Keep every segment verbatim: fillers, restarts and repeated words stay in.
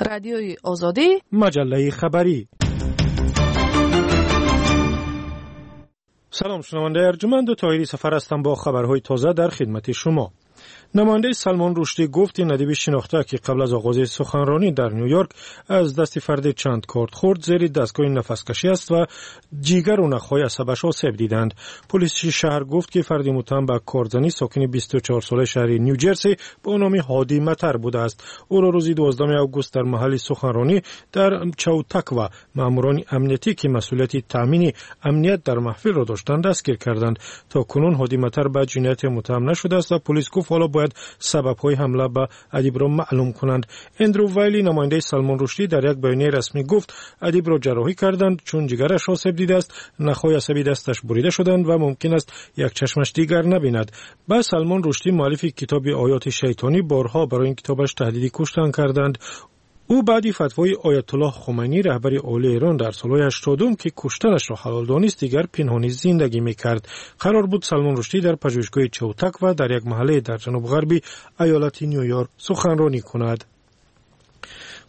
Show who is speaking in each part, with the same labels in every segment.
Speaker 1: Радиои Озодӣ,
Speaker 2: маҷаллаи хабарӣ. Салом шунавандаи арҷуманд, Тоҳири Сафар ҳастам бо хабарҳои тоза дар хидмати шумо. Намояндаи Салмон Рушдӣ гуфт ин адиби шинохта, ки қабл аз оғози суханронӣ дар Нью-Йорк аз дасти фарде чанд корд хӯрд, зери дастгоҳи нафаскашӣ аст ва ҷигару нахҳои асабаш осеб диданд. Полиси шаҳр гуфт, ки фарди муттаҳам ба кордзанӣ сокини бисту чор солаи шаҳри Нью-Ҷерси бо номи Ҳоди Матар будааст. Ӯро рӯзи дувоздаҳуми август дар маҳалли суханронӣ дар Чаутаква маъмурони амниятӣ, ки масъулияти таъмини амният дар маҳфилро доштанд, дастгир карданд. То кунун Ҳоди Матар ба ҷинояте муттаҳам нашудааст ва полис гуфт ҳоло бояд сабабҳои ҳамла ба адибро маълум кунанд. Эндрю Вайли, намояндаи Салмон Рушдӣ, дар як баёнияи расмӣ гуфт адибро ҷарроҳӣ карданд, чун ҷигараш осеб дидааст, нахҳои асаби дасташ бурида шуданд ва мумкин аст як чашмаш дигар набинад. Ба Салмон Рушдӣ, муаллифи китоби Оёти шайтонӣ, борҳо барои ин китобаш таҳдиди куштан карданд. Ӯ баъди фатвои Оятуллоҳ Хумайнӣ, раҳбари олии Эрон, дар солҳои ҳаштодум, ки куштанашро ҳалол донист, дигар пинҳонӣ зиндагӣ мекард. Қарор буд Салмон Рушдӣ дар пажӯҳишгоҳи Чаутаква дар як маҳалле дар ҷануб-ғарби ایالت نیویورک суханронӣ кунад.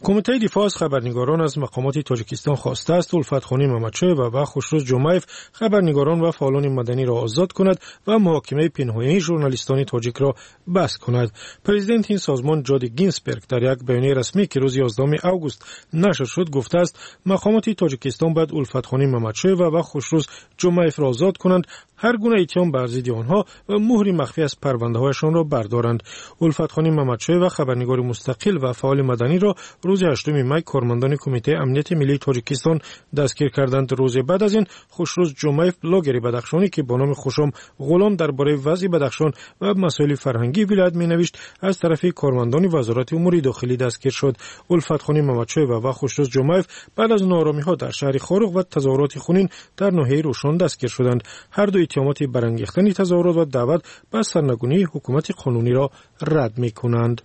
Speaker 2: Кумитаи дифоъ аз хабарнигорон аз мақомоти Тоҷикистон хостааст Улфатхонӣ Мамадшоева ва Хушрӯз Ҷумаев, хабарнигорон ва фаъолони маданиро озод кунад ва муҳокимаи пинҳонии журналистони тоҷикро бас кунад. Президенти ин созмон Ҷоди Гинсберг дар як баёнияи расмӣ, ки рӯзи ёздаҳуми август нашр шуд, гуфтааст мақомоти Тоҷикистон бояд Улфатхонӣ Мамадшоева ва Хушрӯз Ҷумаевро озод кунанд, ҳар гуна иттиҳом бар зидди онҳо ва муҳри махфӣ аз парвандаҳояшонро бардоранд. Улфатхонӣ Мамадшоева, хабарнигори мустақил ва фаъоли маданиро рӯзи ҳаштуми май кормандони Кумитаи амнияти миллии Тоҷикистон дастгир карданд. Рӯзе баъд аз ин Хушрӯз Ҷумаев, блогери бадахшонӣ, ки бо номи Хушом Ғулом дар бораи вазъи Бадахшон ва масоили фарҳангии вилоят менавишт, аз тарафи кормандони Вазорати умури дохилӣ дастгир шуд. Улфатхонӣ Мамадшоева ва Хушрӯз Ҷумаев баъд аз нооромиҳо дар шаҳри Хоруғ ва тазоҳуроти хунин дар ноҳияи Рӯшон дастгир шуданд. Ҳар ду иттиҳомоти барангехтани тазоҳурот ва даъват ба сарнагунии ҳукумати қонуниро рад мекунанд.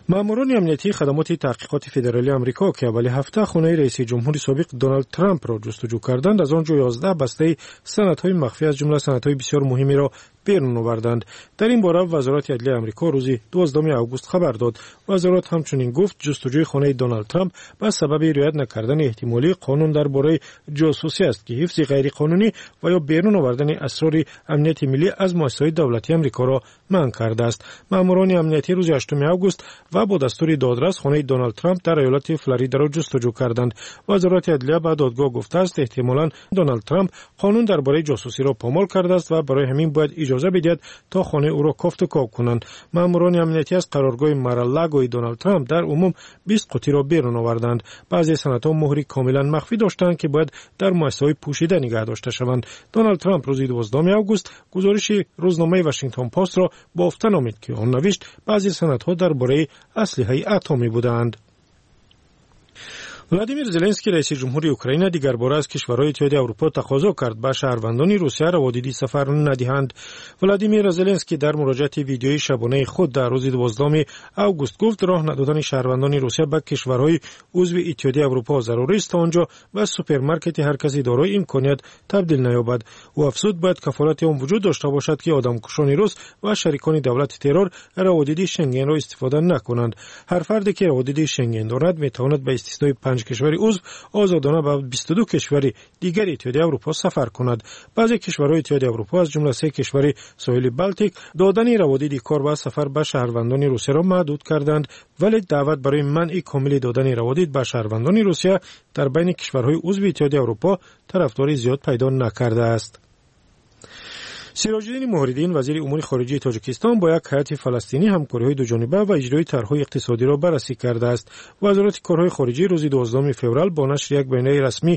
Speaker 2: Маъмурони амниятии хадамоти таҳқиқоти федералии Амрико, ки аввали ҳафта хонаи раиси ҷумҳури собиқ Доналд Трампро ҷустуҷӯ карданд, аз он ҷо ёздаҳ бастаи санадҳои махфӣ, аз ҷумла санадҳои бисёр муҳимеро берун оварданд. Дар ин бора Вазорати адлияи Амрико рӯзи дувоздаҳуми август хабар дод. Вазорат ҳамчунин гуфт ҷустуҷӯи хонаи Доналд Трамп ба сабаби риоят накардани эҳтимолии қонун дар бораи ҷосусӣ аст, ки ҳифзи ғайриқонунӣ ва ё берун овардани асрори амнияти миллӣ аз муассисаҳои давлатии Амрикоро манъ кардааст. Маъмурони амниятӣ рӯзи ҳаштуми август ва бо дастури додрас хонаи Доналд Трамп дар иёлати Флоридаро ҷустуҷӯ карданд. Вазорати адлия ба додгоҳ гуфтааст эҳтимолан Доналд Трамп қонун дар бораи ҷосусиро помол кардааст ва барои ҳамин бояд иҷоза бидиҳад то хонаи ӯро кофту коб кунанд. Маъмурони амниятӣ аз қароргоҳи Мар-а-Лагои Доналд Трамп дар умум бист қутиро берун оварданд. Баъзе санадҳо муҳри комилан махфӣ доштанд, ки бояд дар муассисаҳои пӯшида нигаҳ дошта шаванд. Доналд Трамп рӯзи дувоздаҳуми август гузориши рӯзномаи Вашингтон Постро бофта номид, ки он навишт баъзе санадҳо дар бораи аслиҳаи атомӣ буданд. Владимир Зеленский, раиси ҷумҳури Украина, дигарбора аз кишварҳои Иттиҳоди Аврупо тақозо кард ба шаҳрвандони Русия раводиди сафар надиҳанд. Владимир Зеленский дар муроҷиати видеои шабонаи худ дар рӯзи дувоздаҳуми август гуфт роҳ надодани шаҳрвандони Русия ба кишварҳои узви Иттиҳоди Аврупо зарурист, то он ҷо ба супермаркети ҳар каси дорои имконият табдил наёбад. Ӯ афзуд бояд кафолати он вуҷуд дошта бошад, ки одамкушони рус ва шарикони давлати террор раводиди Шенгенро истифода накунанд. Ҳар фарде ки раводиди Шенген дорад, метавонад ба истиснои панҷ кишвари узв озодона ба бисту ду кишвари дигари Иттиҳоди Аврупо сафар кунад. Баъзе кишварҳои Иттиҳоди Аврупо, аз ҷумла се кишвари соҳили Балтик, додани раводиди кор ва сафар ба шаҳрвандони Русияро маҳдуд карданд, вале даъват барои манъи комили додани раводид ба шаҳрвандони Русия дар байни кишварҳои узви Иттиҳоди Аврупо тарафдори зиёд пайдо накардааст. Сироҷиддин Муҳриддин, вазири умури хориҷии Тоҷикистон, бо як ҳайати фаластинӣ ҳамкориҳои дуҷониба ва иҷрои тарҳҳои иқтисодиро баррасӣ кардааст. Вазорати корҳои хориҷӣ рӯзи дувоздаҳуми феврал бо нашри як баёнияи расмӣ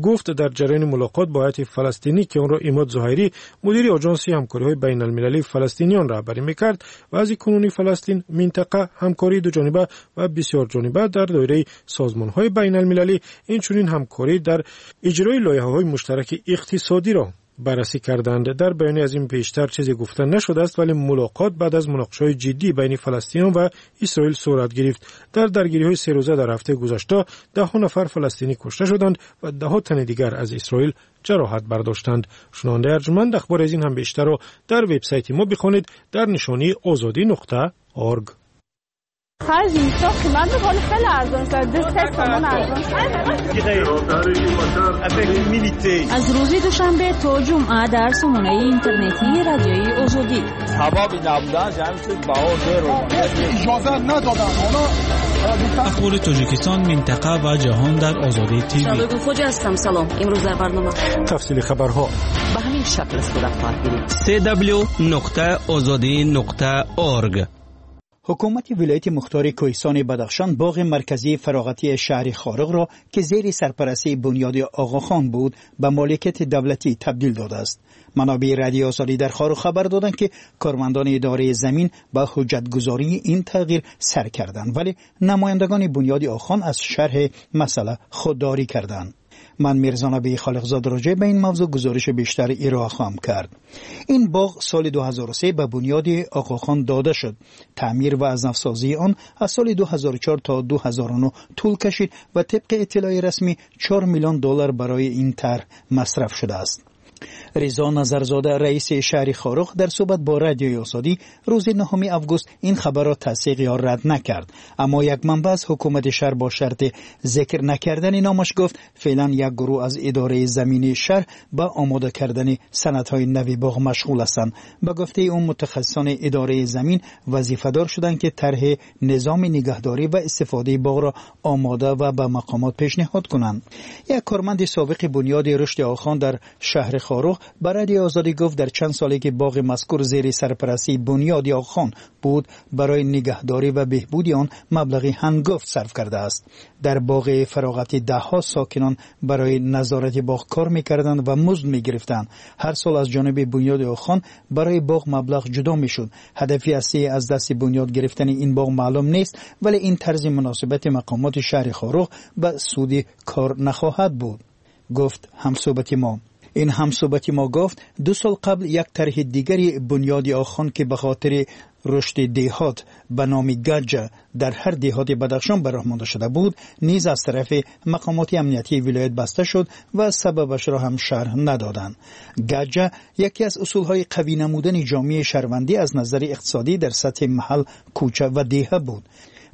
Speaker 2: гуфт дар ҷараёни мулоқот бо ҳайати фаластинӣ, ки онро Имод Зуҳайрӣ, мудири оҷонси ҳамкориҳои байналмилалии фаластиниён раҳбарӣ мекард, вазъи кунунии Фаластин, минтақа, ҳамкории дуҷониба ва бисёрҷониба дар доираи созмонҳои байналмилалӣ, инчунин ҳамкорӣ дар иҷрои лоиҳаҳои муштараки иқтисодиро баррасӣ карданд. Дар баёни аз ин пештар чизе гуфта нашудааст, вале мулоқот баъд аз муноқишаҳои ҷиддӣ байни фаластиниён ва Исроил сурат гирифт. Дар даргириҳои серӯза дар ҳафтаи гузашта даҳҳо нафар фаластинӣ кушта шуданд ва даҳҳо тани дигар аз Исроил ҷароҳат бардоштанд. Шунавандаи арҷуманд, ахбори аз ин ҳам бештарро дар вебсайти мо бихонед дар нишонии озодӣ нуқта орг.
Speaker 1: Ҳар зимистон қимат буд, ҳоло хеле арзон шуд. Ду се сомон арзон шуд.
Speaker 3: Аз рӯзи душанбе то ҷумъа дар сомонаи интернетии Радиои Озодӣ.
Speaker 4: Сабаби набуданаш ҳамин шуд, баҳо зеро.
Speaker 5: Иҷоза надоданд. Онҳо
Speaker 6: Ахбори Тоҷикистон, минтақа ва ҷаҳон дар Озодӣ ТВ.
Speaker 7: Шаҳлои Хоҷа ҳастам. Салом. Имрӯз дар барнома
Speaker 2: тафсили хабарҳо
Speaker 8: ба ҳамин шакл сурат хоҳад гирифт.
Speaker 9: си дабл-ю нуқта озодӣ нуқта орг.
Speaker 10: Ҳукумати вилояти мухтори Кӯҳистони Бадахшон боғи марказии фароғатии шаҳри Хоруғро, ки зери сарпарастии бунёди Оғохон буд, ба моликияти давлатӣ табдил додааст. Манобеи Радиои Озодӣ дар Хоруғ хабар доданд, ки кормандони идораи замин ба ҳуҷҷатгузории ин тағйир сар карданд, вале намояндагони бунёди Оғохон аз шарҳи масъала худдорӣ карданд. Ман Мирзонаби Холиқзод роҷеъ ба ин мавзӯъ гузориши бештар ироа хоҳам кард. Ин боғ соли ду ҳазору се ба бунёди Оғохон дода шуд. Таъмир ва аз навсозии он аз соли ду ҳазору чор то ду ҳазору нӯҳ тӯл кашид ва тибқи иттилои расмӣ чор миллион доллар барои ин тарҳ масраф шудааст. Ризо Назарзода, раиси шаҳри Хоруғ, дар суҳбат бо Радиои Озодӣ рӯзи нӯҳуми август ин хабарро тасдиқ ё рад накард. Аммо як манбаъ аз ҳукумати шаҳр бо шарти зикр накардани номаш гуфт, феълан як гурӯҳ аз идораи замини шаҳр ба омода кардани санадҳои нави боғ машғул ҳастанд. Ба гуфтаи ӯ, мутахассисони идораи замин вазифадор шуданд, ки тарҳи низоми нигаҳдорӣ ва истифодаи боғро омода ва ба мақомот пешниҳод кунанд. Як корманди собиқи бунёди рушди Оғохон дар шаҳри Хоруғ ба Радиои Озодӣ гуфт, дар чанд соле ки боғи мазкур зери сарпарастии бунёди Оғохон буд, барои нигаҳдорӣ ва беҳбуди он маблағи ҳангофт сарф кардааст. Дар боғи фароғатӣ даҳҳо сокинон барои назорати боғ кор мекарданд ва музд мегирифтанд. Ҳар сол аз ҷониби бунёди Оғохон барои боғ маблағ ҷудо мешуд. Ҳадафи аслӣ аз дасти бунёд гирифтани ин боғ маълум нест, вале ин тарзи муносибати мақомоти шаҳри Хоруғ ба суди кор нахоҳад буд, гуфт ҳамсӯҳбати мо. Ин ҳамсӯҳбати мо гуфт, ду сол қабл як тарҳи дигари бунёди Оғохон, ки ба хотири рушди деҳот ба номи Гаҷа дар ҳар деҳоти Бадахшон ба роҳ монда шуда буд, низ аз тарафи мақомоти амниятии вилоят баста шуд ва сабабашро ҳам шарҳ надоданд. Гаҷа яке аз усулҳои қавӣ намудани ҷомеаи шаҳрвандӣ аз назари иқтисодӣ дар сатҳи маҳал, кӯча ва деҳа буд.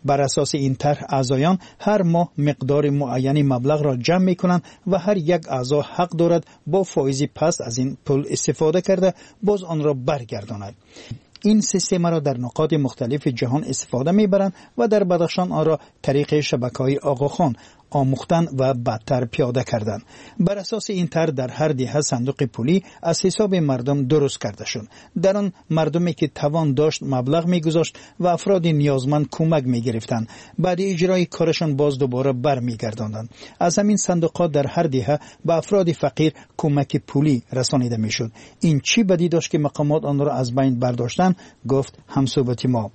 Speaker 10: Бар асоси ин тарҳ аъзоён ҳар моҳ миқдори муайяни маблағро ҷамъ мекунанд ва ҳар як аъзо ҳақ дорад бо фоизи паст аз ин пул истифода карда боз онро баргардонад. Ин системаро дар нуқоти мухталифи ҷаҳон истифода мебаранд ва дар Бадахшон онро тариқи шабакаҳои Оғохон омӯхтан ва бадтар пиёда карданд. Бар асоси ин тарҳ дар ҳар деҳа сандуқи пулӣ аз ҳисоби мардум дуруст карда шуд. Дар он мардуме ки тавон дошт маблағ мегузошт ва афроди ниёзманд кӯмак мегирифтанд. Баъди иҷрои корашон боз дубора бармегардонданд. Аз ҳамин сандуқҳо дар ҳар деҳа ба афроди фақир кӯмаки пулӣ расонида мешуд. Ин чӣ бадӣ дошт, ки мақомот онро аз байн бардоштанд, гуфт ҳамсӯҳбати мо.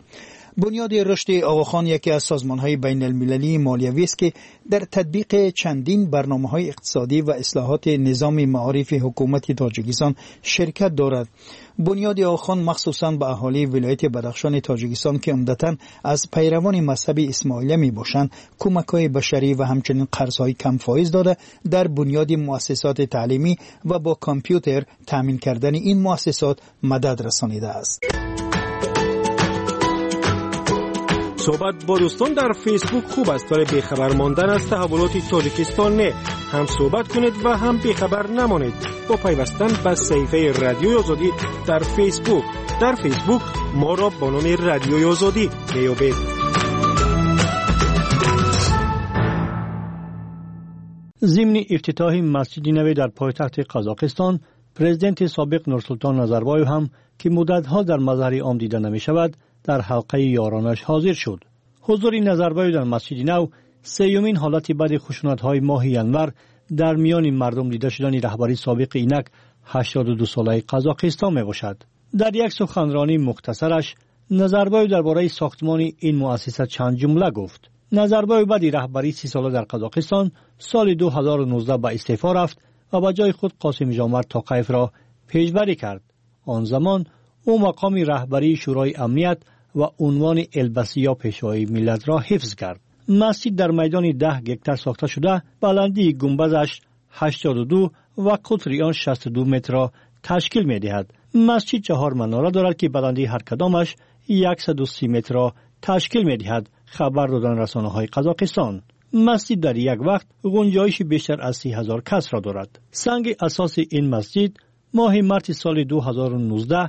Speaker 10: Бунёди рушди Оғохон яке аз созмонҳои байналмилалии молиявӣ аст, ки дар татбиқи чандин барномаҳои иқтисодӣ ва ислоҳоти низоми маорифи ҳукумати Тоҷикистон ширкат дорад. Бунёди Оғохон махсусан ба аҳолии вилояти Бадахшони Тоҷикистон, ки умдатан аз пайравони мазҳаби исмоилия мебошанд, кӯмакҳои башарӣ ва ҳамчунин қарзҳои камфоиз дода, дар бунёди муассисоти таълимӣ ва бо компютер таъмин кардани ин муассисот мадад расонидааст.
Speaker 2: Суҳбат бо дӯстон дар Фейсбук хуб аст, вале бехабар мондан аз таҳаввулоти Тоҷикистон не. Ҳам суҳбат кунед ва ҳам бехабар намонед бо пайвастан ба саҳифаи Радиои Озодӣ дар Фейсбук. Дар Фейсбук моро бо номи Радиои Озодӣ меёбед.
Speaker 11: Зимни ифтитоҳи масҷиди наве дар пойтахти Қазоқистон, президенти собиқ Нурсултон Назарбоев ҳам, ки муддатҳо дар мазҳари ом дида намешавад, дар ҳалқаи ёронаш ҳозир шуд. Ҳузури Назарбоев дар масҷиди нав сеюмин ҳолати баъди хушунатҳои моҳи январ дар миёни мардум дида шудани раҳбари собиқи инак ҳаштоду ду солаи Қазоқистон мебошад. Дар як суханронии мухтасараш Назарбоев дар бораи сохтмони ин муассиса чанд ҷумла гуфт. Назарбоев баъди раҳбарии си сола дар Қазоқистон соли ду ҳазору нуздаҳ ба истеъфо рафт ва ба ҷои худ Қосимжомарт Тоқаевро пешбарӣ кард. Он замон ӯ мақоми раҳбарии Шӯрои амният ва унвони элбасӣ ё пешвои миллатро ҳифз кард. Масҷид дар майдони даҳ гектар сохта шуда, баландии гумбазаш ҳаштоду ду ва қутри он шасту ду метрро ташкил медиҳад. Масҷид чаҳор манора дорад, ки баландии ҳар кадомаш яксаду си метрро ташкил медиҳад. Хабар доданд расонаҳои Қазоқистон. Масҷид дар як вақт гунҷоиши бештар аз си ҳазор касро дорад. Санги асоси ин масҷид моҳи марти соли ду ҳазору нуздаҳ,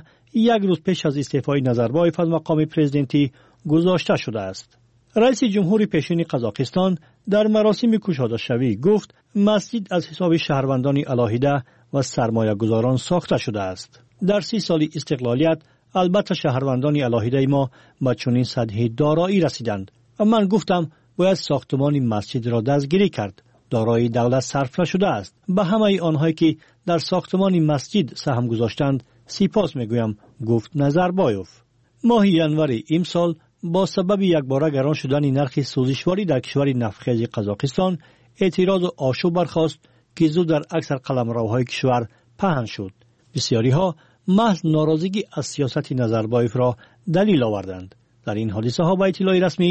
Speaker 11: як рӯз пеш аз истеъфои Назарбоев аз мақоми президентӣ гузошта шудааст. Раиси ҷумҳури пешини Қазоқистон дар маросими кушодашавӣ гуфт, масҷид аз ҳисоби шаҳрвандони алоҳида ва сармоягузорон сохта шудааст. Дар си соли истиқлолият албатта шаҳрвандони алоҳидаи мо ба чунин сатҳи дороӣ расиданд ва ман гуфтам бояд сохтмони масҷидро дастгирӣ кард. Дорои давлат сарф нашудааст. Ба ҳамаи онҳое ки дар сохтмони масҷид саҳм гузоштанд сипос мегӯям, гуфт Назарбоев. Моҳи январи имсол бо сабаби якбора гарон шудани нархи сӯзишворӣ дар кишвари нафтхези Қазоқистон эътирозу ошӯб бархост ки зуд дар аксар қаламравҳои кишвар паҳн шуд. Бисёриҳо маҳз норозигӣ аз сиёсати Назарбоевро далел оварданд. Дар ин ҳодисаҳо ба иттилои расмӣ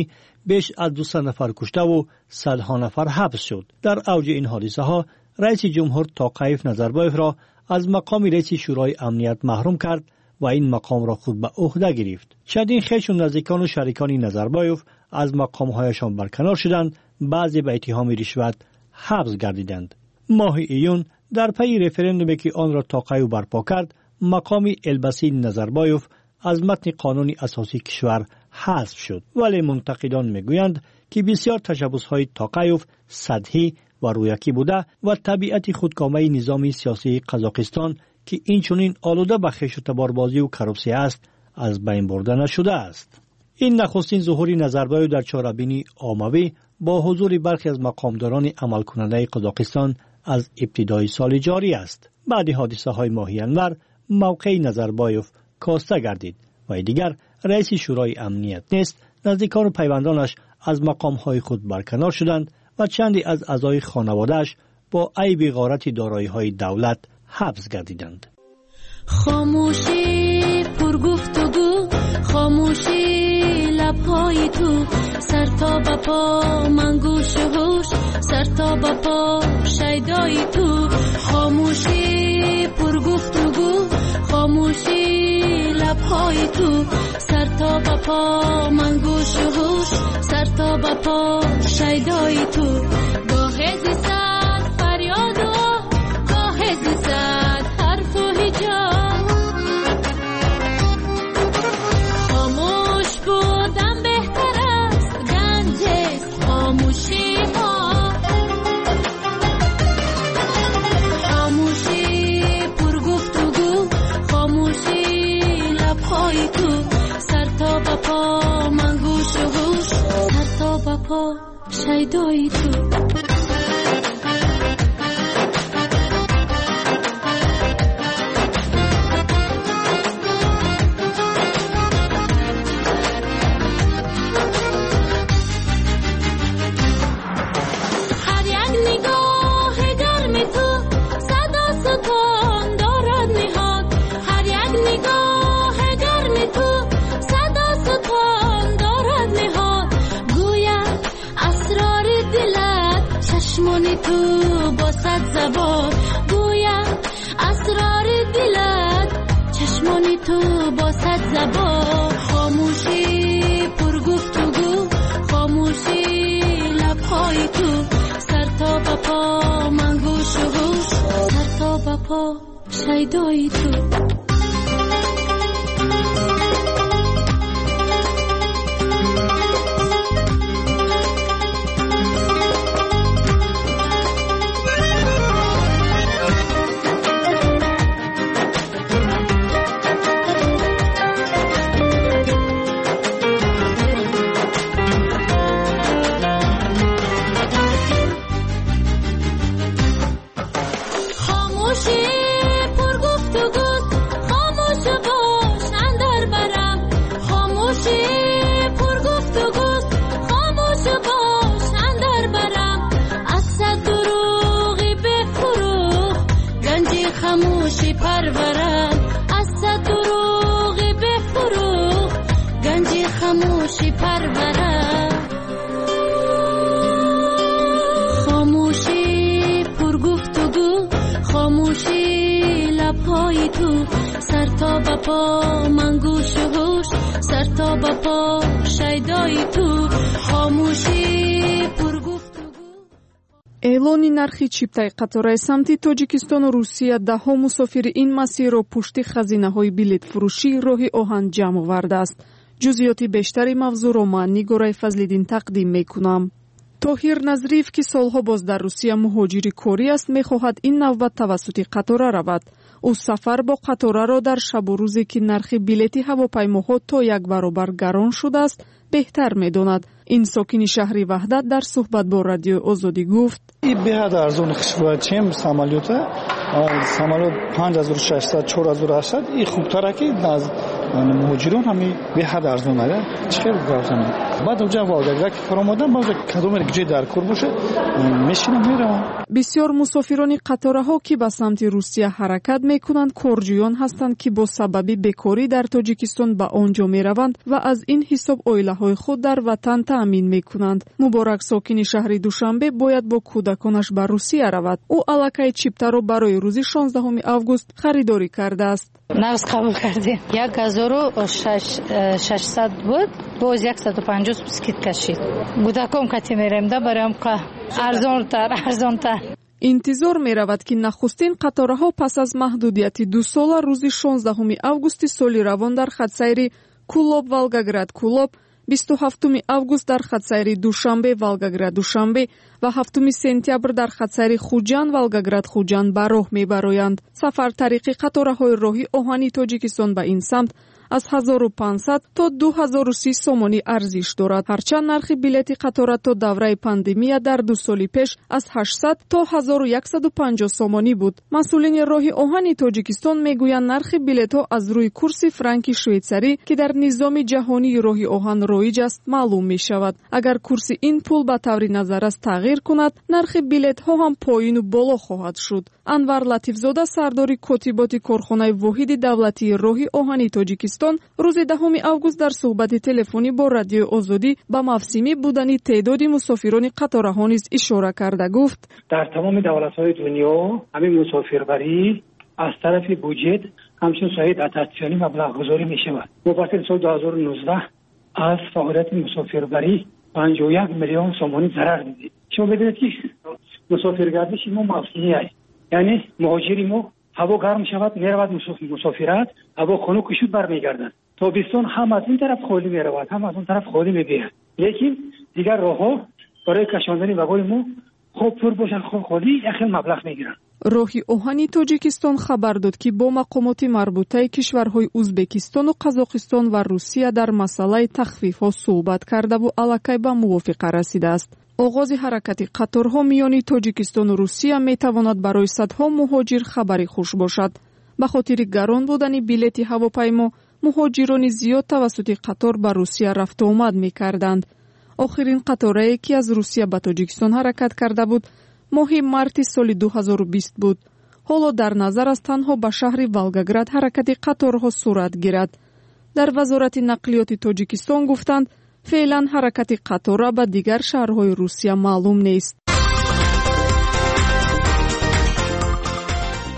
Speaker 11: беш аз дусад нафар куштаву садҳо нафар ҳабс шуд. Дар авҷи ин ҳодисаҳо раиси ҷумҳур Тоқаев Назарбоевро аз мақоми раиси Шӯрои амният маҳрум кард ва ин мақомро худ ба ӯҳда гирифт. Чандин хешу наздикону шарикони Назарбоев аз мақомҳояшон барканор шуданд, баъзе ба иттиҳоми ришват ҳабс гардиданд. Моҳи июн дар пайи референдуме ки онро Тоқаев барпо кард, мақоми элбасии Назарбоев аз матни қонуни асосии кишвар ҳазф шуд. Вале мунтақидон мегӯянд ки бисёр ташаббусҳои Тоқаев сатҳӣ ва рӯякӣ буда ва табиати худкомаи низоми сиёсии Қазоқистон ки инчунин олуда ба хешу таборбозию коррупсия аст, аз байн бурда нашудааст. Ин нахустин зуҳури Назарбоев дар чорабинии оммавӣ бо ҳузури бархе аз мақомдорони амалкунандаи Қазоқистон аз ибтидои соли ҷорӣ аст. Баъди ҳодисаҳои моҳи январ мавқеи Назарбоев коста гардид ва дигар раиси Шӯрои амният нест. Наздикону пайвандонаш аз мақомҳои худ барканор шуданд ва чанде аз аъзои хонаводааш бо айби ғорати дороиҳои давлат ҳабс гардиданд.
Speaker 12: Хомӯшӣ пургуфтугӯ, хомӯшӣ лабҳои ту, сар то ба по ман гӯшу ҳуш, сар то ба по шайдои ту. Хомӯшӣ пургуфтугӯ, хомӯшӣ лабҳои ту, сар то ба по ман гӯшу ҳуш, сар то ба по шайдои ту. Гоҳе зи сад фарёду оҳ, гоҳе зи сад ҳарфу ҳиҷо, хомӯш будан беҳтар аст, ганҷ аст хомӯшиҳо. Хомӯшӣ пургуфтугӯ, хомӯшӣ лабҳои ту, сар то ба по ман гӯшу ҳуш, сар то ба по шайдои ту. Ҳар як нигоҳи гарми ту садо сутон дорад ниҳон, ҳар як нигоҳи гарми ту садо сутон дорад ниҳон. Гӯяд асрори дилат чашмони ту бо сад забон, гӯяд асрори дилат чашмони ту бо сад забон. Хомӯшӣ пургуфтугӯ, хомӯшӣ лабҳои ту, сар то ба по ман гӯшу ҳуш, сар то ба по шайдои ту. Хомӯшӣ пургуфтугӯст, хомӯш бош андар барам, хомӯшӣ пургуфтугӯст, хомӯш бош андар барам. Аз сад дурӯғи бефурӯғ ганҷи хомӯшӣ парварам, аз сад дурӯғи бефурӯғ ганҷи хомӯшӣ парварам. Хомӯшӣ пургуфтугӯ, хомӯшӣ лабҳои ту, сар то ба по ман гӯшу ҳуш, сар то تا به پا شیدای تو، خاموشی پرگفتگو.
Speaker 13: Эълони нархи чиптаи қатораи самти Тоҷикистону Русия даҳҳо мусофири ин масирро пушти хазинаҳои билетфурӯшии роҳи оҳан ҷамъ овардааст. Ҷузъиёти бештари мавзӯъро ман Нигораи Фазлиддин тақдим мекунам. Тоҳир Назриев, ки солҳо боз дар Русия муҳоҷири корӣ аст, мехоҳад ин навбат тавассути қатора равад. Ӯ сафар бо қатораро дар шабу рӯзе, ки нархи билети ҳавопаймоҳо то як баробар гарон шудааст, беҳтар медонад. Ин сокини шаҳри Ваҳдат дар суҳбат бо Радиои Озодӣ гуфт:
Speaker 14: беҳад арзон хушбояд, чем самолёта. Самолёт панҷ ҳазору шашсад, чор ҳазору ҳаштсад, и хубтара ки аз муҳоҷирон ҳами беҳад арзон ага. Чӣ хел гап занем? Баъд уҷа Волгоград ки фаромадам, баъд кадоме ҷой дар кор бошад, мешинам, меравам.
Speaker 13: Бисёр мусофирони қатораҳо, ки ба самти Русия ҳаракат мекунанд, корҷӯён ҳастанд, ки бо сабаби бекорӣ дар Тоҷикистон ба он ҷо мераванд ва аз ин ҳисоб оилаҳои худ дар ватан таъмин мекунанд. Муборак, сокини шаҳри Душанбе, бояд бо кӯдаконаш ба Русия равад. Ӯ аллакай чиптаро барои рӯзи шонздаҳуми август харидорӣ кардааст.
Speaker 15: Нағз қабул кардем. Як ҳазору шашсад буд, боз яксаду панҷоҳ скидка шид. Кӯдаком кати мерем да, бароям арзонтар, арзонтар.
Speaker 13: Интизор меравад, ки нахустин қатораҳо пас аз маҳдудияти дусола рӯзи шонздаҳуми августи соли равон дар хатсайри Кулоб Волгоград Кулоб, бисту ҳафтуми август дар хатсайри Душанбе Волгоград Душанбе ва ҳафтуми сентябр дар хатсайри Хуҷанд Волгоград Хуҷанд ба роҳ мебароянд. Сафар тариқи қатораҳои роҳи оҳани Тоҷикистон ба ин самт аз ҳазору панҷсад то ду ҳазору си сомонӣ арзиш дорад. Ҳарчанд нархи билети қатора то давраи пандемия дар ду соли пеш аз ҳаштсад то ҳазору яксаду панҷоҳ сомонӣ буд. Масъулини роҳи оҳани Тоҷикистон мегӯянд, нархи билетҳо аз рӯи курси франки швейцарӣ, ки дар низоми ҷаҳонии роҳи оҳан роиҷ аст, маълум мешавад. Агар курси ин пул ба таври назаррас тағйир кунад, нархи билетҳо ҳам поину боло хоҳад шуд. Анвар Латифзода, сардори котиботи корхонаи воҳиди давлатии роҳи оҳани Тоҷикистон, рӯзи даҳуми август дар суҳбати телефонӣ бо Радиои Озодӣ ба мавсимӣ будани теъдоди мусофирони қатораҳо низ ишора карда гуфт:
Speaker 16: дар тамоми давлатҳои дунё ҳамин мусофирбарӣ аз тарафи буҷет ҳамчун соҳаи дотатсионӣ маблағгузорӣ мешавад. Мо барои соли ду ҳазору нуздаҳ аз фаъолияти мусофирбарӣ панҷоҳу як миллион сомонӣ зарар дидем. Шумо медонед, ки мусофиргардиши мо мавсимӣ аст, яъне муҳоҷири мо ҳаво гарм шавад меравад мусофират, ҳаво хунук шуд бармегардад. Тобистон ҳам аз ин тараф холӣ меравад, ҳам аз он тараф холӣ мебиёяд. Лекин дигар роҳҳо барои кашондани вагони мо хоб пур бошанд, хоб холӣ, як хел маблағ мегиранд.
Speaker 13: Роҳи оҳани Тоҷикистон хабар дод, ки бо мақомоти марбутаи кишварҳои Узбекистону Қазоқистон ва Русия дар масъалаи тахфифҳо суҳбат кардаву аллакай ба мувофиқа расидааст. Оғози ҳаракати қаторҳо миёни Тоҷикистону Русия метавонад барои садҳо муҳоҷир хабари хуш бошад. Ба хотири гарон будани билети ҳавопаймо, муҳоҷирони зиёд тавассути қатор ба Русия рафту омад мекарданд. Охирин қаторае, ки аз Русия ба Тоҷикистон ҳаракат карда буд, моҳи марти соли ду ҳазору бист буд. Ҳоло дар назар аст танҳо ба шаҳри Волгоград ҳаракати қаторҳо сурат гирад. Дар Вазорати нақлиёти Тоҷикистон гуфтанд, феълан ҳаракати қатора ба дигар шаҳрҳои Русия маълум нест.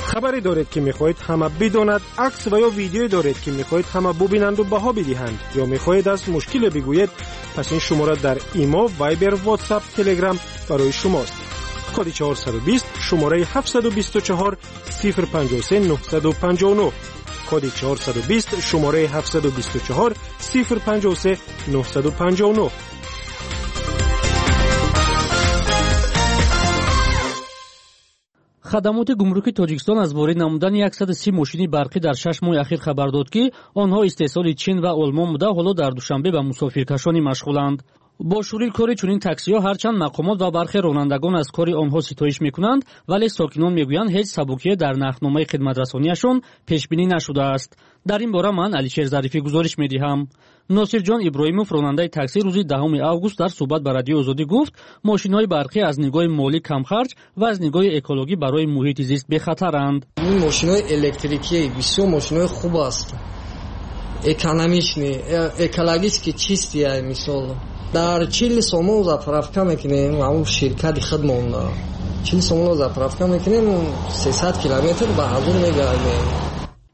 Speaker 2: Хабаре доред, ки мехоҳед ҳама бидонад, акс ва ё видеое доред, ки мехоҳед ҳама бубинанду баҳо бидиҳанд, ё мехоҳед аз мушкиле бигӯед, пас ин шумора дар Имо, Вайбер, Ватсап, Телеграм барои шумост. Коди чорсаду бист, шумораи ҳафтсаду бисту чор, сифр панҷоҳу се, нӯҳсаду панҷоҳу нӯҳ. Коди чорсаду бист, шумораи ҳафтсаду бисту чор, сифр панҷоҳу се, нӯҳсаду панҷоҳу нӯҳ.
Speaker 17: Хадамоти гумруки Тоҷикистон аз ворид намудани яксаду си мошини барқӣ дар шаш моҳи ахир хабар дод, ки онҳо истеҳсоли Чин ва Олмон буда, ҳоло дар Душанбе ба мусофиркашонӣ машғуланд. Бо шурӯи кори чунин таксиҳо ҳарчанд мақомот ва бархе ронандагон аз кори онҳо ситоиш мекунанд, вале сокинон мегӯянд, ҳеҷ сабукие дар нархномаи хидматрасонияшон пешбинӣ нашудааст. Дар ин бора ман Алишер Зарифӣ гузориш медиҳам. Носирҷон Иброҳимов, ронандаи такси, рӯзи даҳуми август дар суҳбат ба Радиои Озодӣ гуфт, мошинҳои барқӣ аз нигоҳи молӣ камхарҷ ва аз нигоҳи экологӣ барои муҳити зист бехатаранд.
Speaker 18: Ин мошинҳои электрикӣ бисёр мошинҳои хуб аст, экономичный, экологически чистый, мисол. Дар чил сомон заправка мекунем, ҳамон ширкати худмон чил сомон заправка мекунем, сесад километр ба ҳазор мегардем.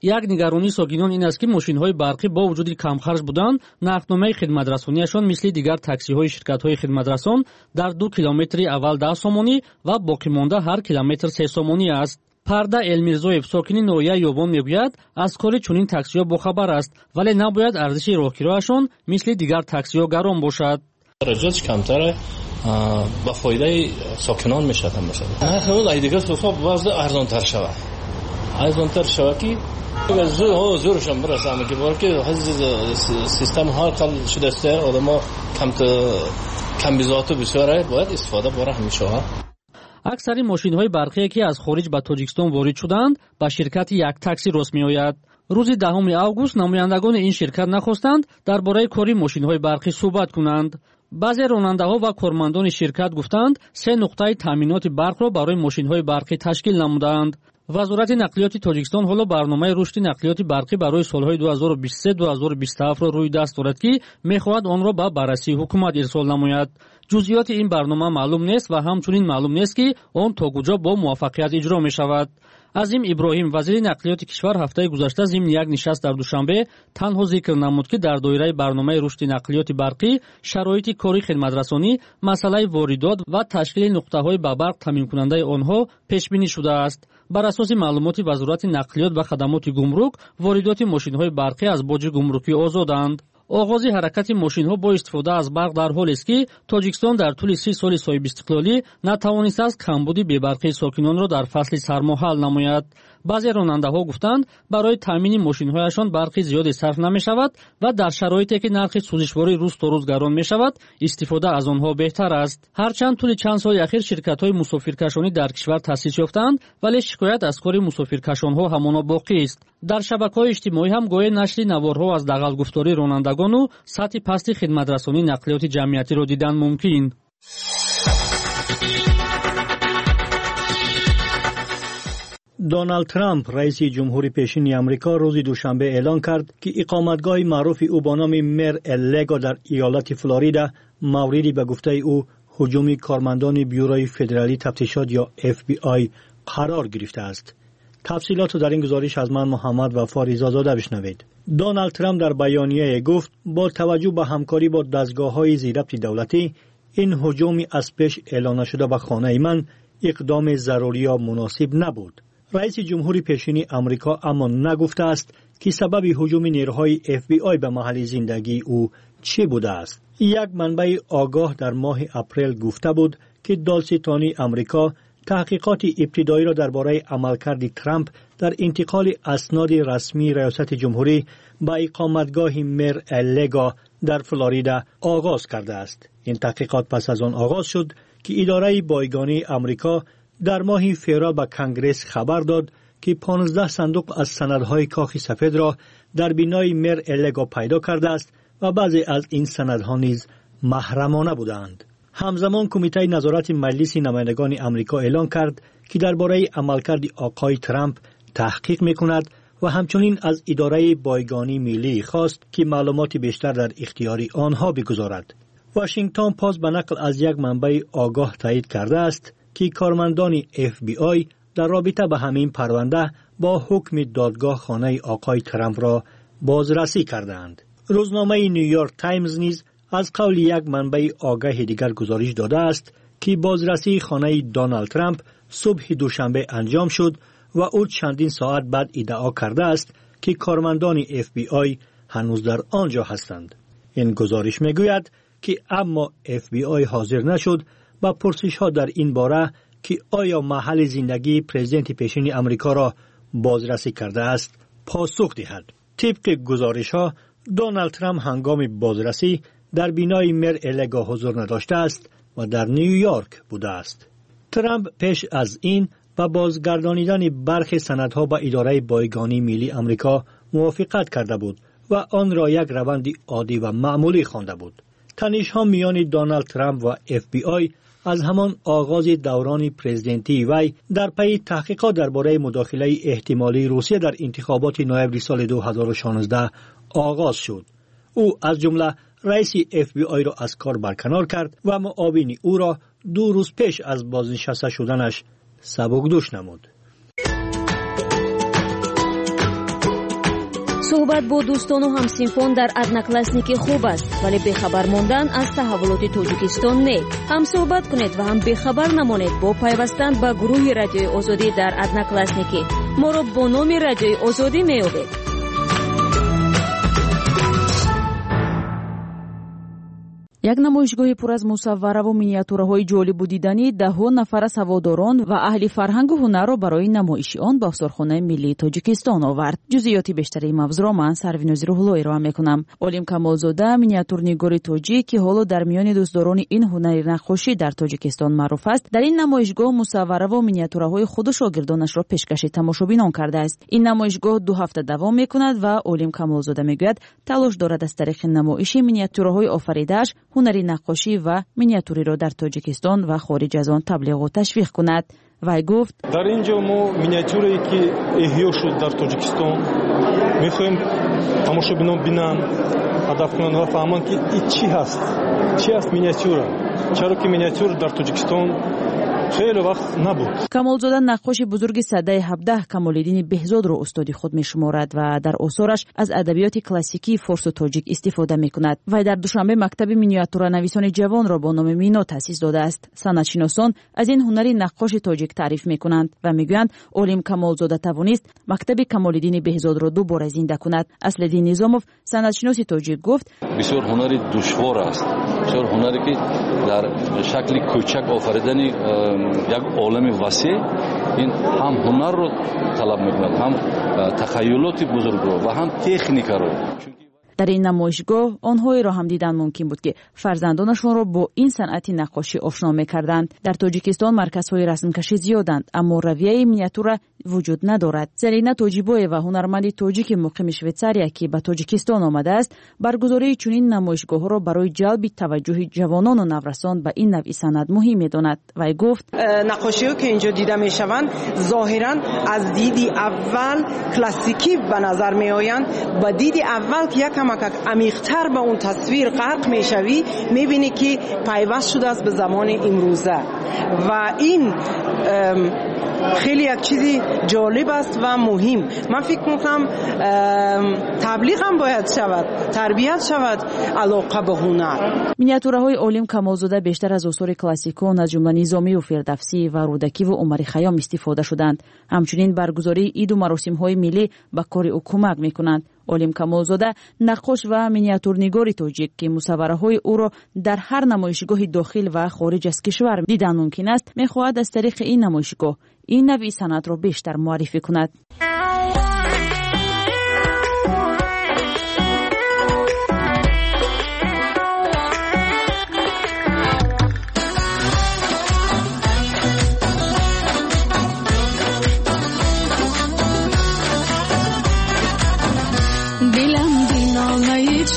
Speaker 17: Як нигаронии сокинон ин аст, ки мошинҳои барқӣ бо вуҷуди камхарҷ будан, нархномаи хидматрасонияшон мисли дигар таксиҳои ширкатҳои хидматрасон дар ду километри аввал даҳ сомонӣ ва боқимонда ҳар километр се сомонӣ аст. Парда Элмирзоев, сокини ноҳияи Ёвон, мегӯяд, аз кори чунин таксиҳо бохабар аст, вале набояд арзиши роҳкирояшон мисли дигар таксиҳо гарон бошад.
Speaker 19: Харҷотш камтар, ба фоидаи сокинон мешавад ҳам бошад. Нархи дигар суфа боз арзонтар шавад. Арзонтар шавад, ки зӯршон бирасанд, ки бор ки система ҳар қал шудааст, одамо камбизоату бисёр бояд истифода бора ҳамешаҳо.
Speaker 17: Аксари мошинҳои барқие, ки аз хориҷ ба Тоҷикистон ворид шуданд, ба ширкати Як такси рост меояд. Рӯзи даҳуми август намояндагони ин ширкат нахостанд дар бораи кори мошинҳои барқӣ суҳбат кунанд. Баъзе ронандаҳо ва кормандони ширкат гуфтанд, се нуқтаи таъминоти барқро барои мошинҳои барқӣ ташкил намудаанд. Вазорати нақлиёти Тоҷикистон ҳоло барномаи рушди нақлиёти барқӣ барои солҳои ду ҳазору бисту се - ду ҳазору бисту ҳафтро рӯи даст дорад, ки мехоҳад онро ба баррасии ҳукумат ирсол намояд. Ҷузъиёти ин барнома маълум нест ва ҳамчунин маълум нест, ки он то куҷо бо муваффақият иҷро мешавад. Азим Иброҳим, вазири нақлиёти кишвар, ҳафтаи гузашта зимни як нишаст дар Душанбе танҳо зикр намуд, ки дар доираи барномаи рушди нақлиёти барқӣ шароити кори хидматрасонӣ, масъалаи воридот ва ташкили нуқтаҳои ба барқ таъминкунандаи онҳо пешбинӣ шудааст. Бар асоси маълумоти Вазорати нақлиёт ва хадамоти гумрук, воридоти мошинҳои барқӣ аз боҷи гумрукӣ озоданд. Оғози ҳаракати мошинҳо бо истифода аз барқ дар ҳолест, ки Тоҷикистон дар тӯли си соли соҳибистиқлолӣ натавонистааст камбуди бебарқии сокинонро дар фасли сармо ҳал намояд. Баъзе ронандаҳо гуфтанд, барои таъмини мошинҳояшон барқи зиёде сарф намешавад ва дар шароите, ки нархи сӯзишворӣ рӯз то рӯз гарон мешавад, истифода аз онҳо беҳтар аст. Ҳарчанд тӯли чанд соли ахир ширкатҳои мусофиркашонӣ дар кишвар таъсис ёфтаанд, вале шикоят аз кори мусофиркашонҳо ҳамоно боқист. Дар шабакаҳои иҷтимоӣ ҳам гоҳе нашри наворҳо аз дағалгуфтории ронандагону сатҳи пасти хидматрасонии нақлиёти ҷамъиятиро дидан мумкин.
Speaker 11: Доналд Трамп, раиси ҷумҳури пешини Амрико, рӯзи душанбе эълон кард, ки иқоматгоҳи маъруфи ӯ бо номи Мер Элего дар иёлати Флорида мавриди ба гуфтаи ӯ ҳуҷуми кормандони Бюрои федералии тафтишот ё Эф Би Ай қарор гирифтааст. Тафсилотро дар ин гузориш аз ман Муҳаммад Вафо Ризозода бишнавед. Доналд Трамп дар баёнияе гуфт, бо таваҷҷӯҳ ба ҳамкорӣ бо дастгоҳҳои зирабти давлатӣ, ин ҳуҷуми аз пеш эълон нашуда ба хонаи ман иқдоми зарурӣ ё муносиб набуд. Раиси ҷумҳури пешини Амрико аммо нагуфтааст, ки сабаби ҳуҷуми нерӯҳои Эф Би Ай ба маҳалли зиндагии ӯ чӣ будааст. Як манбаи огоҳ дар моҳи апрел гуфта буд, ки додситонии Амрико таҳқиқоти ибтидоиро дар бораи амалкарди Трамп дар интиқоли асноди расмии раёсати ҷумҳурӣ ба иқоматгоҳи Мер Элего дар Флорида оғоз кардааст. Ин таҳқиқот пас аз он оғоз шуд, ки идораи бойгонии Амрико дар моҳи феврал ба Конгресс хабар дод, ки понздаҳ сандуқ аз санадҳои Кохи Сафедро дар бинои Мер Элего пайдо кардааст ва баъзе аз ин санадҳо низ маҳрамона буданд. Ҳамзамон Кумитаи назорати Маҷлиси намояндагони Амрико эълон кард, ки дар бораи амалкарди оқои Трамп таҳқиқ мекунад ва ҳамчунин аз идораи бойгонии миллӣ хост, ки маълумоти бештар дар ихтиёри онҳо бигузорад. Вашингтон Пост ба нақл аз як манбаи огоҳ таъйид кардааст, ки кормандони Эф Би Ай дар робита ба ҳамин парванда бо ҳукми додгоҳ хонаи оқои Трампро бозрасӣ кардаанд. Рӯзномаи Нью-Йорк Таймз низ аз қавли як манбаи огаҳи дигар гузориш додааст, ки бозрасии хонаи Доналд Трамп субҳи душанбе анҷом шуд ва ӯ чандин соат баъд иддао кардааст, ки кормандони Эф Би Ай ҳанӯз дар он ҷо ҳастанд. Ин гузориш мегӯяд, ки аммо Эф Би Ай ҳозир нашуд ба пурсишҳо дар ин бора, ки оё маҳалли зиндагии президенти пешини Амрикоро бозрасӣ кардааст, посух диҳад. Тибқи гузоришҳо, Доналд Трамп ҳангоми бозрасӣ дар бинои Мер Элего ҳузур надоштааст ва дар Нью-Йорк будааст. Трамп пеш аз ин ба бозгардонидани бархе санадҳо ба идораи бойгонии миллии Амрико мувофиқат карда буд ва онро як раванди оддӣ ва маъмулӣ хонда буд. Танишҳо миёни Доналд Трамп ва Эф Би Ай аз ҳамон оғози даврони президентии вай дар пайи таҳқиқот дар бораи мудохилаи эҳтимолии Русия дар интихоботи ноябри соли ду ҳазору шонздаҳ оғоз шуд. Ӯ аз ҷумла раиси Эф Би Айро аз кор барканор кард ва муовини ӯро ду рӯз пеш аз бознишаста шуданаш сабукдӯш намуд.
Speaker 7: Суҳбат бо дӯстону ҳамсинфон дар Одноклассники хуб аст, вале бехабар мондан аз таҳаввулоти Тоҷикистон не. Ҳам суҳбат кунед ва ҳам бехабар намонед бо пайвастан ба гурӯҳи Радиои Озодӣ дар Одноклассники. Моро бо номи Радиои Озодӣ меёбед.
Speaker 3: Як намоишгоҳи пур аз мусаввараву миниатюраҳои ҷолибу диданӣ даҳҳо нафар аз ҳаводорон ва аҳли фарҳангу ҳунарро барои намоиши он ба осорхонаи миллии Тоҷикистон овард. Ҷузъиёти бештари мавзӯъро ман Сарвинози Рӯҳулло ироа мекунам. Олим Камолзода, миниатюрнигори тоҷик, ки ҳоло дар миёни дӯстдорони ин ҳунари наққошӣ дар Тоҷикистон маъруф аст, дар ин намоишгоҳ мусаввараву миниатюраҳои худу шогирдонашро пешкаши тамошобинон кардааст. Ин намоишгоҳ ду ҳафта давом мекунад ва Олим Камолзода мегӯяд, талош дорад аз тариқи намоиши миниатюраҳои офаридааш ҳунари наққошӣ ва миниатюриро дар Тоҷикистон ва хориҷ аз он таблиғу ташвиқ кунад. Вай гуфт:
Speaker 20: дар ин ҷо мо миниатюрае ки эҳё шуд дар Тоҷикистон мехоҳем тамошобинон бинанд, ҳадаф кунанд ва фаҳманд, ки ин чӣ ҳаст, чӣ ҳаст миниатюра, чаро ки миниатюр дар Тоҷикистон хеле вақт набуд.
Speaker 3: Камолзода наққоши бузурги садаи ҳабдаҳ Камолиддини Беҳзодро устоди худ мешуморад ва дар осораш аз адабиёти классикии форсу тоҷик истифода мекунад. Вай дар Душанбе мактаби миниатюранависони ҷавонро бо номи Мино таъсис додааст. Санъатшиносон аз ин ҳунари наққоши тоҷик таъриф мекунанд ва мегӯянд, Олим Камолзода тавонист мактаби Камолиддини Беҳзодро дубора зинда кунад. Аслиддин Низомов, санъатшиноси тоҷик, гуфт:
Speaker 21: бисёр ҳунари душвор аст, бисёр ҳунаре ки дар шакли кӯчак офаридани як олами васеъ, ин ҳам ҳунарро талаб мекунад, ҳам тахайюлоти бузургро ва ҳам техникаро.
Speaker 3: Дар ин намоишгоҳ онҳоеро ҳам дидан мумкин буд, ки фарзандонашонро бо ин санъати наққошӣ ошно мекарданд. Дар Тоҷикистон марказҳои расмкашӣ зиёданд, аммо равияи миниатюра вуҷуд надорад. Зарина Тоҷибоева, ҳунарманди тоҷики муқими Швейтсария, ки ба Тоҷикистон омадааст, баргузории чунин намоишгоҳҳоро барои ҷалби таваҷҷӯҳи ҷавонону наврасон ба ин навъи санъат муҳим медонад. Вай гуфт:
Speaker 22: наққошиҳо ки инҷо дида мешаванд, зоҳиран аз диди аввал классикӣ ба назар меоянд. Ба диди аввал ки якам амиқтар ба он тасвир ғарқ мешавӣ, мебинӣ ки пайваст шудааст ба замони имрӯза ва ин хеле як чизи ҷолиб аст ва муҳим. Ман фикр мекунам таблиғ ҳам бояд шавад, тарбият шавад алоқа ба ҳунар.
Speaker 3: Миниатюраҳои Олим Камолзода бештар аз осори классикон, аз ҷумла Низомию Фирдавсӣ ва Рӯдакиву Умари Хайём истифода шуданд. Ҳамчунин баргузории иду маросимҳои миллӣ ба кори ӯ кӯмак мекунанд. Олим Камолзода наққош ва миниатюрнигори тоҷик, ки мусаввараҳои ӯро дар ҳар намоишгоҳи дохил ва хориҷ аз кишвар дидан мумкин аст, мехоҳад аз тариқи ин намоишгоҳ ин навъи санъатро бештар муаррифӣ кунад.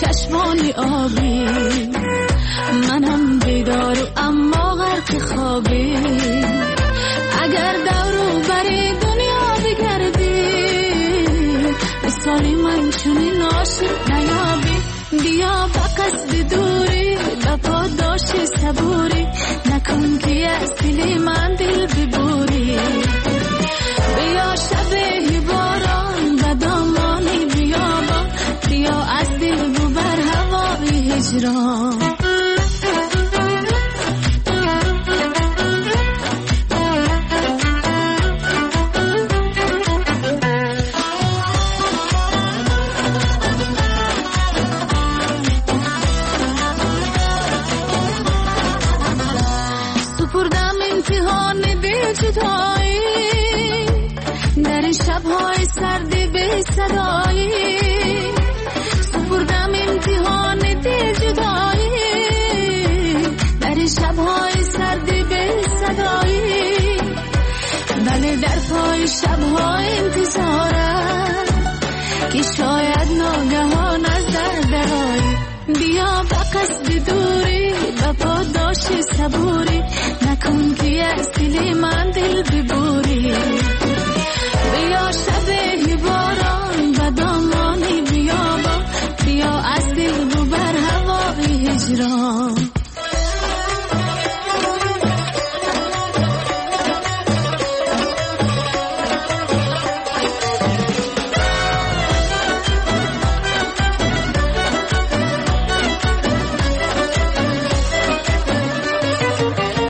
Speaker 12: چشمانی آبی، منم بیدار اما غرق خوابی، اگر دورو بری دنیا بگردی، مثال من چنین عاشق نیابی. بیا با قصد دوری، با پاداش صبوری، نکن که از دل من دل ببوری. بیا شب باران به دامان بیابان، بیا از دل ببر هوای هجران. سپردم امتحان دل جدایی، در این شب‌های سرد بی صدایی، سپردم امتحان دل جدایی، در این شب‌های سرد بی صدایی، ولی در پای شب‌های انتظارم که شاید ناگهان از در درایی. بیا با قصد دوری، با پاداش صبوری، نکن که از دل من دل ببوری. بیا شب باران به دامان بیابان، بیا از دل ببر هوای هجران.